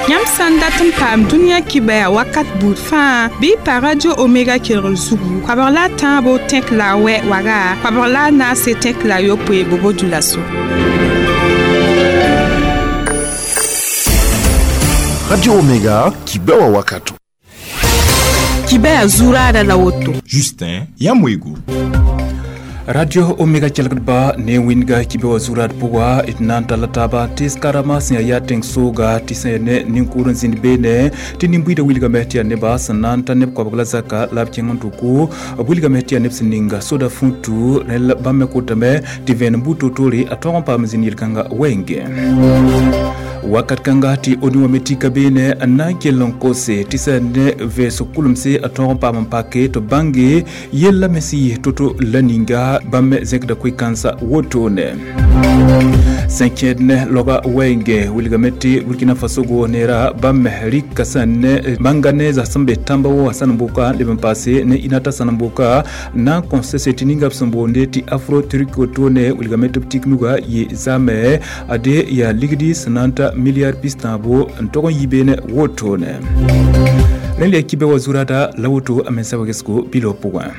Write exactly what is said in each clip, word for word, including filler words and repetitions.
Yãmb sã n dat n paam dũniyã kibaya wakat buud fãa bɩ y pa Radio Omega kelgr zugu koabg la a tãabo tẽk la a wɛ waga koabg la a naase tẽk la a yopoe bobo dulaso. Radio Omega kibewa wakato. Kibaya zurada la woto. Justin Yamwego. Radio Omega kelgdba ne winga kibewa zurat pʋga d na n talla taaba tɩs karama sẽn yaa yaa tẽng-sooga tɩ sẽn ya ne nin-kʋʋd n zĩnd beene tɩ nin-buiidã wilgame tɩ yaa neba sẽn na n ta neb koabg la zaka la b kẽng n tʋko b wilgame tɩ yaa neb sẽn ninga soda fũtu rẽl bãmb me kotame tɩ vẽenem buud toor-toore a tõog n paam zĩnd yel-kãnga wɛɛngẽ. Wakat kãnga tɩ onu wã me tika beene n na n kell n kose tɩ sã ne vɛɛsg kʋlemse a tõog n paam n pake tɩ bãnge yella me sẽn yɩ to-to la ninga bãmb me zẽkda koe-kãnsã wotone. Sẽn kẽed ne laoga wɛɛngẽ wilgame tɩ Burkina Faso go neera bãmb me rɩka sã ne mãnga ne zas sẽn be tãmba wã sãnem-boka leb n paase ne inata sãnem-boka na n kõ société ninga b sẽn boonde tɩ afro turk wotone wilgame tɩ b tik nuga yɩ zame ade yaa ligdi sẽn na n ta milliard pis tãabo n tog n yi beene wotone. Rẽnd yaa kibe wa zurada la woto a mensa wegesgo biloo pʋgẽ.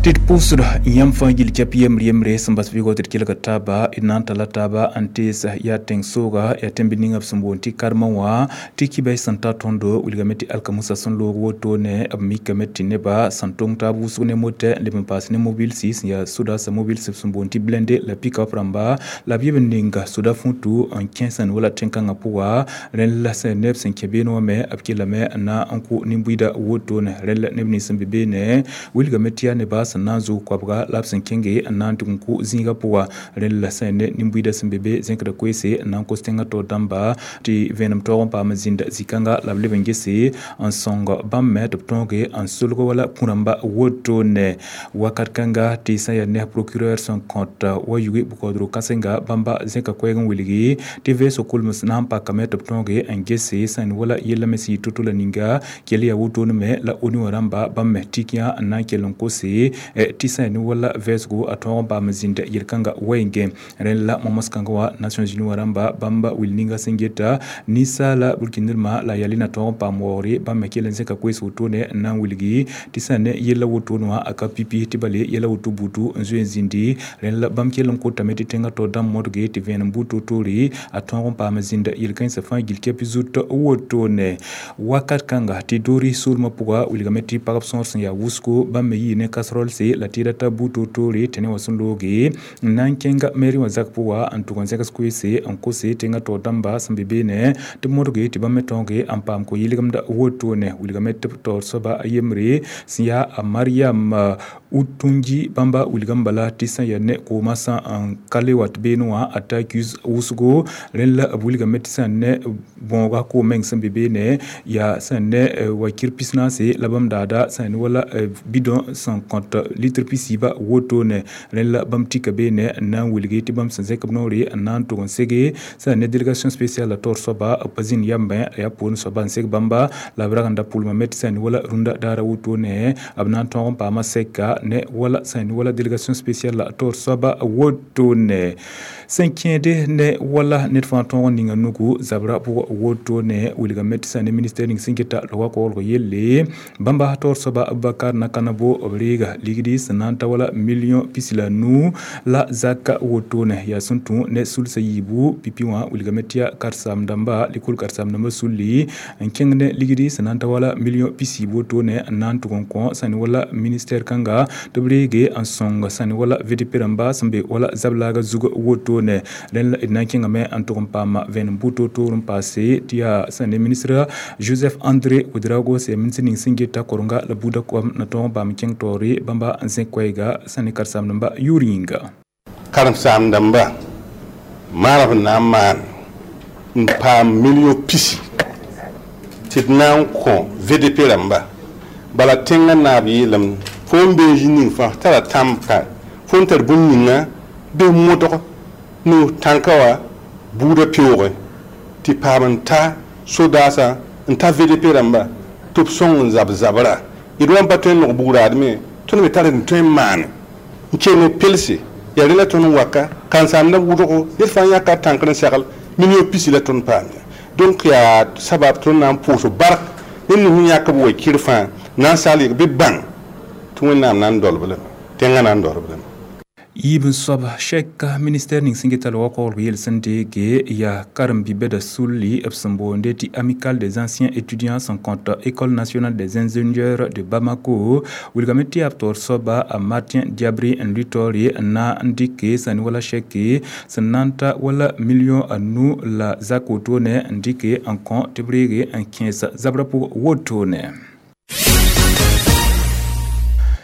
Tɩ d pʋʋsda yãmb fãa gill kɛp yembre yembre sẽn bas vɩɩgɔ tɩ d kelga taaba d na n talla taaba n tees yaa tẽng-sooga yaa tẽmb ninga b sẽn boond tɩ karema wã tɩ kibɛy sẽn ta tõndo wilgame tɩ alkamusa sẽn loog wotone b mikame tɩ neba sẽn tong taab wʋsg ne motɛ n leb n paas ne mobilsi sẽn yaa sodaasã mobilsi b sẽn boond tɩ blende la pick-up rãmba la b yeb n ninga soda fũtu n kẽ sẽn wala tẽn-kãngã pʋga rẽnd la sẽn neb sẽn kẽ beene wã me b kellame n na n kʋ nin-buiidã wotone rẽnd la neb nins sẽn be beene wilgame tɩ yaa neba sẽn na n zʋg koabga la b sẽn kẽnge n na n tʋg n kʋ zĩigã pʋga rẽnd la sẽn ne nin-buiidã sẽn be be zẽkda koeese n na n kos tẽngã taoor dãmba tɩ vẽenem taoog n paam n zĩnda zĩ-kãnga la b leb n gese n sõng bãmb me tɩ b tõoge n solg wala kũ-rãmba wotone. Wakat kãnga tɩ sã n yaa ne procureur sẽn kõt wa yuge bʋ-kaoodg kãsenga bãmba zẽka koɛɛg n wilgi tɩ vɛɛsg kolms na n pakame tɩ b tõoge n gese sẽn wala yella me sẽn yɩ to-to la ninga kell yaa wotone me la onu wã rãmba bãmb me tik yã n na n kell n kose tɩ sã ne wala vɛɛsgo a tõog n paam zĩnda yel-kãnga wɛɛngẽ. Rẽnd la momos-kãngã wã Nations Unies wã rãmba bãmba wil ninga sẽn geta ninsaala burkinirmã la yaa na tõog n paam waoogre bãmb me kell n zẽka koees wotone n na n wilgi tɩ sã ne yella wotone wã a ka pipi tɩ bale yɛla woto butu n zoe n zĩndi. Rẽnd la bãmb kell n kotame tɩ tẽngã taoor dãmb modge tɩ vẽenem buud toor-toore a tõog n paam zĩnda yel-kãensã fãa gill kɛp zut wotone. Wakat kãnga tɩ doori soolmã pʋga wilgame tɩ pagb sõor sẽn yaa wʋsgo bãmb me yɩ ne casserole la tɩ ra ta buud toor-toore tɩ ne wã sẽn looge n na n kẽnga mairie wã zak pʋga n tʋg n zẽgs koeese n kose tẽngã taoor dãmba sẽn be beene tɩ b modge tɩ bãmb me tõoge n paam ko-yɩlgemda wotone. Wilgame tɩ b taoor soaba a yembre sẽn yaa a Mariam Utunji bãmba wilgame bala tɩ sã n yaa ne koomã sã n ka le wat beene wã a ta accuse wʋsgo rẽnd la b wilgame tɩ sã n ne bõoga koom meng sẽn be beene yaa sã n ne wakir pis naase la bãmb daada sã n ne wala bidon sẽn kõt litre pisiiba wotone. Rẽnd la bãmb tika beene n na n wilgi tɩ bãmb sẽn zẽk b noore n na n tʋg n sege sã n ne délégation spéciale la taoor soaba b pa zĩnd yambẽ a yaa poorẽ soaba n seg bãmba la b rag n da pʋlma me tɩ sã n ne wala rũndã daara wotone b na n tõog n paama sɛka ne wala sã n ne wala délégation spéciale la taoor soaba wotone. Sẽn kẽede ne wala ned fãa tõog n ninga nugu zabra pʋgã wotone wilgame tɩ sã ne ministère ning sẽn geta loga koglg yelle bãmba taoor soaba Abubakar Nakanabo b reega ligdi sẽn na n ta wala million pis la nu la zaka wotone yaa sẽn tũ ne sulsã yiibu pipi wã wilgame tɩ yaa karen-saam dãmba lekol karen-saam dãmbã sulli n kẽng ne ligdi sẽn na n ta wala million pis yiib wotone n na n tʋg n kõ sã ne wala ministère kãnga tɩ b reege n sõng sã ne wala V D P rãmba sẽn be wala zab-laaga zug wotone. Rẽnd la d na n kẽngame n tʋg n paama vẽenem buud toor-toor n paase tɩ yaa sã ne ministre Joseph André Ouedraogo sẽn yaa ministre ning sẽn geta korenga la buudã koam na tõog n paam kẽng taoore bãmba n zẽk koɛɛga sã ne karen-saam dãmba yʋʋr yĩnga. Karen-saam dãmba maana b na n maan n paam million pisi tɩ d na n kõ V D P rãmba bala tẽngã naab yeelame fo n bee zĩ ning fãa tara tãmb ka fo n tar bũmb ninga bɩ modg no tãnka wã buudã peoogẽ tɩ paam n ta sodaasã n ta V D P rãmba tɩ b sõng n zab zabra d wa n pa tõe n nog bugraadme tõnd me tar n tõe n maane n kell pelse Yaa rẽ la tõnd n waka karen-saamdã wʋdgo ned fãa yãka tãnkr n segl million pisi la tõnd paam ya. Donc yaa sabab tõnd na n pʋʋs bark ned nins yãk b wa-kɩr fãa na n sagl yɩg bɩ bãng tɩ Wẽnnaam na n dolb lame, tẽngã na n dolb lame. Yiib n soab sɛka ministɛr ning sẽn geta la wakɔglg yel sẽn deege yaa karen-bi-bɛda sulli b sẽn boonde tɩ Amicale des anciens étudiants sẽn kõt École nationale des ingénieurs de Bamako wilgame tɩ yaa b taoor soaba a Martin Diabri n lʋɩ taoore n na n dɩke sã ne wala sɛke sẽn na n ta wala million a nu la zak wotone n dɩke n kõ tɩ b reege n kẽes zabrã pʋg wotone.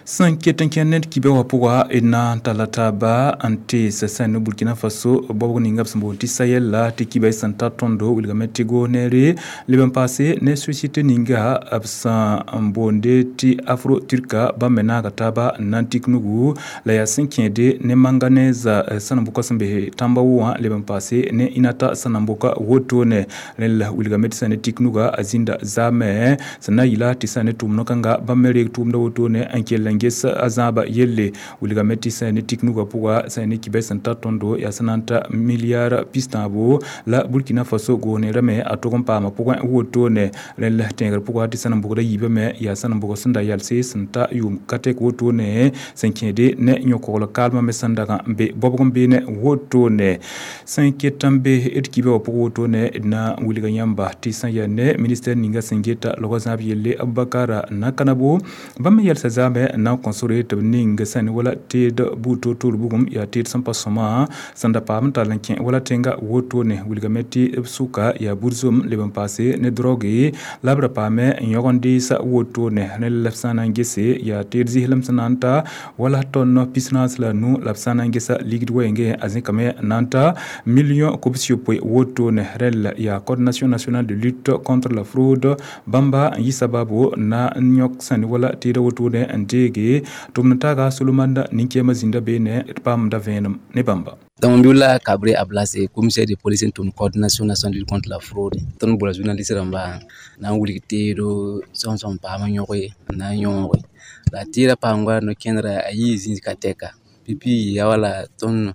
Sẽn ket n kẽnd ned kibɛ wã pʋga d na n talla taaba n tees sã ne Burkina Faso baoog ninga b sẽn boond tɩ Sahel la tɩ kibɛ sẽn ta tõndo wilgame tɩ goosneere leb n paase ne société ninga b sẽn n boonde tɩ Afro Turka bãmb me naaga taaba n na n tik nugu la yaa sẽn kẽede ne manganèse sẽn n bʋka sẽn be tãmba wʋ wã leb n paase ne Inata sẽn na n bʋka wotone. Rẽnd la wilgame tɩ sã ne tik nuga a zĩnda zaamẽ sẽn na n yɩla tɩ sã ne tʋʋm no-kãnga bãmb me reeg tʋʋmda wotone n kell n ges a zãaba yelle wilgame tɩ sã ne tik nugã pʋga sã ne kibɛ sẽn ta tõndo yaa sẽn na n ta milliard pistãabo la Burkina Faso goosneerame a tʋg n paama pʋgẽ wotone. Rẽnd la tẽegr pʋga tɩ sẽn n bʋgda yiibame yaa sẽn n bʋg sẽn da yalse sẽn ta yʋʋm ka tɛk wotone sẽn kẽede ne yõ-kogl kaalmã me sẽn dag n be bɔbg n beene wotone. Sẽn ket n be d kibɛ wã pʋg wotone d na n wilga yãmba tɩ sã yaa ne ministɛr ninga sẽn geta logã zãab yelle Abubakar Nakanabo bãmb me yɛlsa zaamẽ n na n kõ sore tɩ b ning sã ne wala teed buud toor-toor bugum yaa teed sẽn pa sõma sẽn da paam n tall n kẽ wala tẽnga wotone wilgame tɩ b sʋka yaa burzom leb n paase ne droge la b ra paame n yõg n deesa wotone. Rẽnd la b sã n na n gese yaa teed zɩslem sẽn na n ta wala tõnd pis-naas la nu la b sã n na n gesa ligd wɛɛngẽ a zẽkame n na n ta million kobs-yopoe wotone. Rẽnd la yaa Coordination nationale de lutte contre la fraude bãmba n yɩ sababo na n yõk sã ne wala teeda wotone n deege tʋmd taaga Solomanda nin-kɛɛmã zĩnda beene d paamda vẽenem ne bãmba. Tambiola Kabré Ablase, commissaire de police n coordination nationale de lutte contre la fraude. Tõnd bola journaliste rãmba na n wilg teedo sõm sõm paam n yõge n na n yõoge la teedã paam goa no-kẽndra a yii zĩig ka tɛka pipi yaa wala tõnd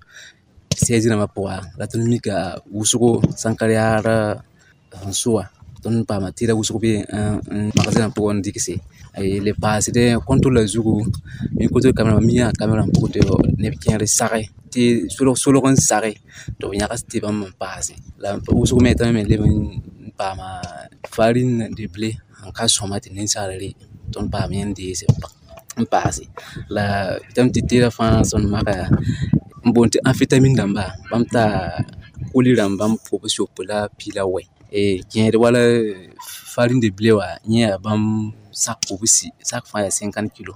seize rãmbã pʋga la tõnd mika wʋsgo sãnkar yaar sẽn soa tõnd paama tɩɩda wʋsg be n magasin pʋgẽ n dɩgse le paasdẽ contrôle zugu mi contrôle caméra mi yaa caméra pʋgẽ tɩ neb kẽer sage tɩ solg solg n sage tɩ b yãgs tɩ bãmb n paase la wʋsg me tɩ me leb n paama farine de blé n ka sõma tɩ ninsaal re tõnd paam yẽ n deese n paase la tɩ teedã fãa sẽn maka n boond tɩ amphétamine dãmba bãmb taa koli rãmb bãmb kobs yopoe la pii la wɛ kẽed wala farine de blé wã yẽ yaa bãmb sak kobsi sak fãa yaa cinquante kilo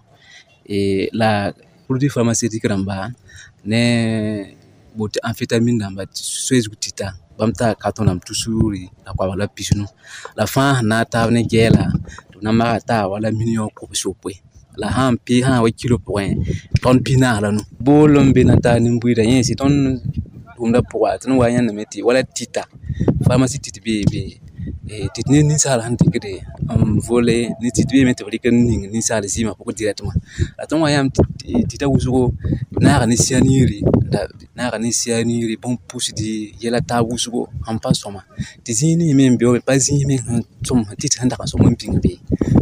la produit pharmaceutique rãmba ne boond tɩ amphétamine dãmba soe zug tɩta bãmb taa carton rãmb tusuri la koabg la pisnu la fãa sẽn na n taab ne gɛɛla tɩ b na n maga taa wala million kobs yopoe la sã n pee sã wa kilo pʋgẽ tõnd pis-naas la nu bool n be na n taa nin-buiidã yẽnse tõnd tʋʋmdã pʋga tõnd wa yãndame tɩ wala tɩta pharmacie tit bee be tɩ ne ninsaal sẽn dɩkde n vole ne tit beeme tɩ b rɩk n ning ninsaal zɩɩmã pʋgẽ directement la tõnd wa yãmb tɩta wʋsgo naaga ne cyanure naaga ne cyanure bũmb pʋsdi yɛla taab wʋsgo sẽn pa sõma tɩ zĩig ning me n be wa pa zĩig me sẽn sõm tɩt sẽn dag n sõm n bĩng be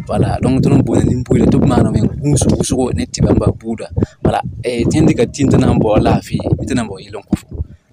wala donc tõnd n boonda nin-buiidã tɩ b maana me gũus wʋsgo ne tɩ bãmba buuda wala tẽnd dɩka tɩ tɩ na n bao laafɩ bɩ tɩ na n bao yell n kõ fo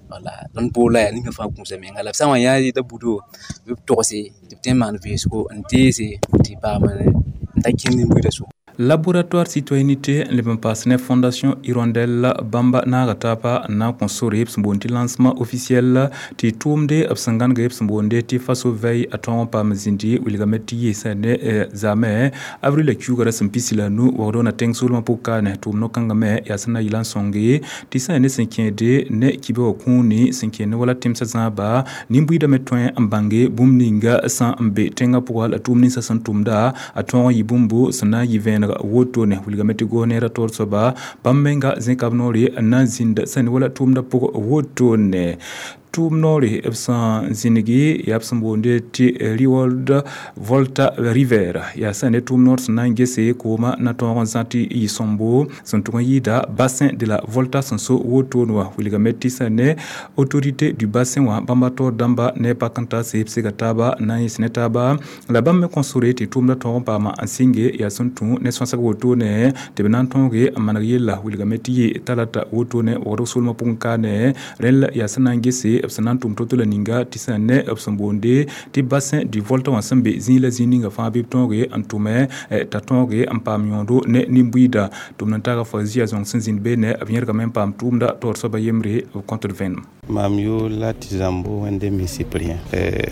wala tõnd boola yaa ninga fãa gũusa menga la b sã n wa yã yeta budo bɩ b togse tɩ b tõe n maan vẽesgo n deese tɩ paam n ta kẽnd nin-buiidã sʋka. Laboratoire citoyenneté leb n paas ne Fondation Hirondelle bãmba naaga taaba n na n kõ sore b sẽn boond tɩ lancement officiel tɩ tʋʋmde b sẽn gãnega b sẽn boonde tɩ Faso Veille a tõog n paam zĩndi wilgame tɩ yɩɩsã ne zaamẽ avril la kiuugã ra sẽn pisi la nu waoodg na tẽng soolmã pʋg kaane tʋʋm no-kãngã me yaa sẽn na yɩla n sõnge tɩ sã ne sẽn kẽede ne kibã wã kũuni sẽn kẽnd ne wala tẽmsã zãaba nin-buiidã me tõe n bãnge bũmb ninga sã n be tẽngã pʋga la tʋʋm ninsã sẽn tʋmda a tõog n yɩ bũmbo sẽn na n yɩ vẽeneg wotone wilgame tɩ goosneerã taoor soaba bãmb menga zẽka b noore n na n zĩnd sã ne wala tʋʋmdã pʋg wotone. Tʋʋm noore b sẽn zĩnigi yaa b sẽn boonde tɩ Reworld Volta River yaa sã ne tʋʋm noor sẽn na n gese kooma na tõog n zã tɩ yɩ sõmbo sẽn tʋg n yɩɩda bassin de la Volta sẽn so wotone wã wilgame tɩ sã ne autorité du bassin wã bãmba taoor dãmba ne pak n ta seb sega taaba n na n yẽs ne taaba la bãmb me kõ sore tɩ tʋʋmda tõog n paama n sɩnge yaa sẽn tũ ne sõsg wotone tɩ b na n tõoge n maneg yella wilgame tɩ yɩ talata wotone wagdg solmã pʋgẽ kaane rẽnd la yaa sẽn na n gese b sẽn na n tʋm to-to la ninga tɩ sã ne b sẽn boonde tɩ bassin du Volta wã sẽn be zĩig la zĩig ninga fãa bɩ b tõoge n tʋme t'a tõoge n paam yõodo ne nin-buiida tʋm n taga fo zia zõng sẽn zĩnd beene b yẽrgame n paam tʋʋmda taoor soaba yembre b kõtd vẽenem. Mam yʋʋr la tɩ Zãmbo Wẽndemi Cyprien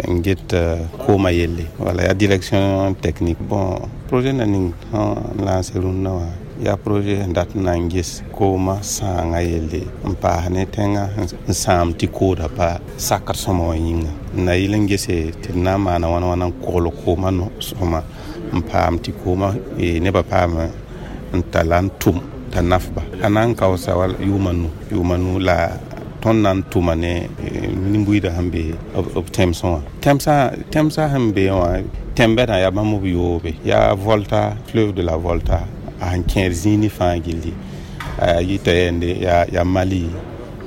n get koomã yelle wala yaa direction technique. Bon, projet na ning sẽn lancé rũnnã wã yaa projet sẽn dat n na n ges koomã sãangã yelle n paas ne tẽngã n sãam tɩ kooda pa sakd sõma wã yĩnga n na yɩl n gese tɩ d na n maana wãna wãna n kogl koomã sõma n paam tɩ koomã nebã paam n talla n tʋm t'a nafba a na n kaoosa wala yʋʋma nu yʋʋma nu la tõnd na n tʋma ne nin-buiidã sẽn be b tẽmsẽ wã tẽmsã tẽmsã sẽn be wã tẽn-bɛdã yaa bãmb b yoobe yaa Volta, fleuve de la Volta a sẽn kẽer zĩig ne fãa gilli a yita yɛnde yaa yaa Mali,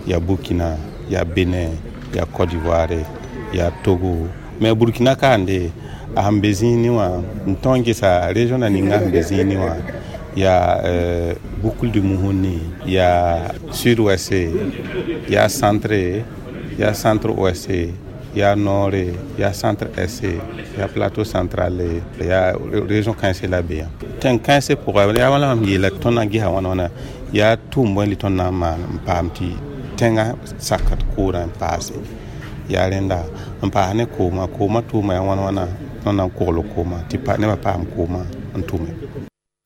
yaa Burkina, yaa Benin, yaa Côte d'Ivoire, yaa Togo. Mais Burkina kaande a sẽn be zĩig ne wã n tõe n gesa région na ninga sẽn be zĩig ne wã yaa euh, Boucle du Mouhouni, yaa sud-ouest, yaa centre, yaa centre-ouest, yaa nord, yaa centre-est, yaa plateau central, yaa région kãense la be yã tẽn kãensẽ pʋga yaa wãna mam yeela tõnd na n gesa wãna wãna yaa tʋʋm bõe tõnd na n maan n paam tɩ tẽngã sakd koodã n paase yaa rẽnda n paas ne koomã koomã tʋʋma yaa wãna wãna tõnd na n kogl koomã tɩ nebã paam koomã n tʋme.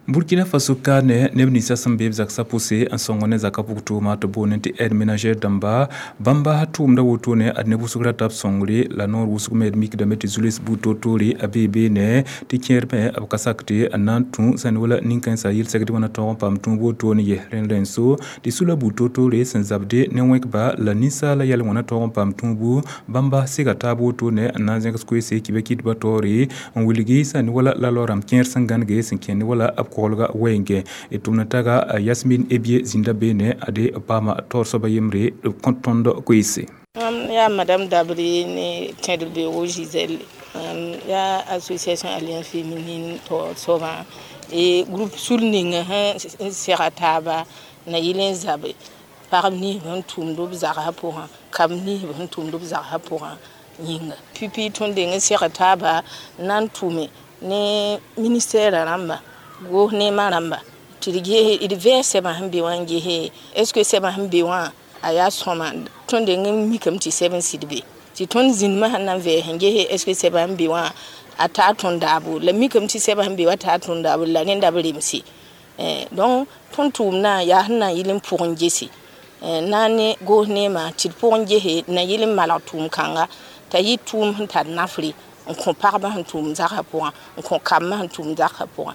Burkina Faso ka ne neb ninsã sẽn be b zaksa pʋse n sõng ne zakã pʋg tʋʋma tɩ boone tɩ aide ménagère dãmba bãmba tʋʋmda wotone ad neb wʋsg rata b sõngre la noor wʋsg me d mikdame tɩ zules buud toor-toore a bee beene tɩ kẽer me b ka sak tɩ n na n tũ sẽn wala nin-kãensã yel-segd wã na tõog n paam tũub wotone ye rẽnd rẽnd so tɩ sula buud toor-toore sẽn zabde ne wẽkba la ninsaala yɛl wã na tõog n paam tũubu bãmba sega taab wotone n na n zẽgs koeese kɩ kɩtbã taoore n wilgi sẽn wala la loorame kẽer sẽn gãnege sẽn kẽnd wala b kolga wenge e tʋmna taga Yasmin Ebie zĩnda beene ade paama taoor soaba yembre b kõt tõnd koeese. Mam yaa Madame Dabri ne Tẽdr-beoogo Gisèle yaa association Alliance féminine taoor soabã e groupe sul ninga sẽn sega taaba na yɩl n zabe pagb ninsb sẽn tʋmd b zagsã pʋgã kab ninsb sẽn tʋmd b zagsã pʋgã yĩnga pipi tõnd deng n seg taaba n na n tʋme ne ministère rãmba goos neemã rãmba tɩ d ges d vɛɛs sɛbã sẽn be wã n gese est ce que sɛbã sẽn be wã a yaa sõma tõnd deng n mikame tɩ sɛb n sɩd be tɩ tõnd zĩndmã sẽn na n vɛɛs n gese est ce que sɛbã sẽn be wã a taa tõnd daabo la mikame tɩ sɛbã sẽn be wã taa tõnd daabo la rẽnda b remse. Donc tõnd tʋʋmdã yaa sẽn na n yɩl n pʋgẽ gese na ne goos neemã tɩ d pʋgẽ gese na yɩl n malg tʋʋm kãnga t'a yɩ tʋʋm sẽn tar nafre n kõ pagba sẽn tʋʋm zagsã pʋgã n kõ kambã sẽn tʋʋm zagsã pʋgã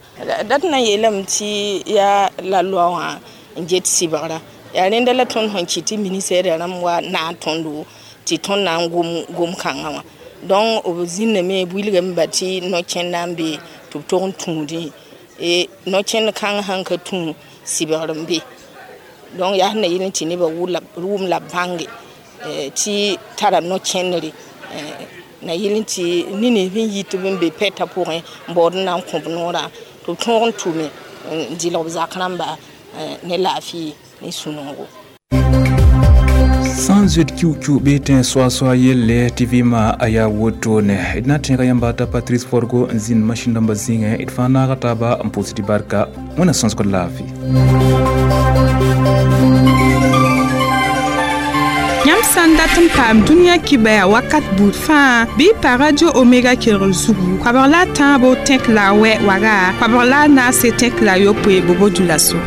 dat na n yeelame tɩ yaa la loa wã n get sɩbgrã yaa rẽnda la tõnd sẽn kɩt tɩ ministère rãmb wa naag tõndo tɩ tõnd na n gom gom kãngã wã donc b zĩnname b wilgame ba tɩ no-kẽnda n be tɩ b tog n tũudẽ e no-kẽnd kãng sãn ka tũ sɩbgr n be donc yaa sẽn na yɩl n tɩ nebã wʋm la b bãnge tɩ tara no-kẽndre na yɩl n tɩ ne nins n yit b n be pɛtã pʋgẽ n baood n na n kõ b noorã tɩ b tõog n tʋme n dɩlg b zak rãmba ne laafɩ ne sũ-noogo. Sã n zoet kiu-kiu bɩ tẽ soa-soa yelle tɩ vɩɩmã a yaa wotone d na n tẽega yãmba t'a Patrice Forgo n zĩnd masĩn dãmbã zĩigẽ d fãa naaga taaba n pʋʋs tɩ barka wẽna sõsgd laafɩ. Yãmb sã n dat n paam dũniyã kibaya wakat buud fãa bɩ pa Radio Omega kelgr zugu koabg la a tãabo tẽk la a wɛ waga koabg la a naase tẽk la a yopoe bobo dula so.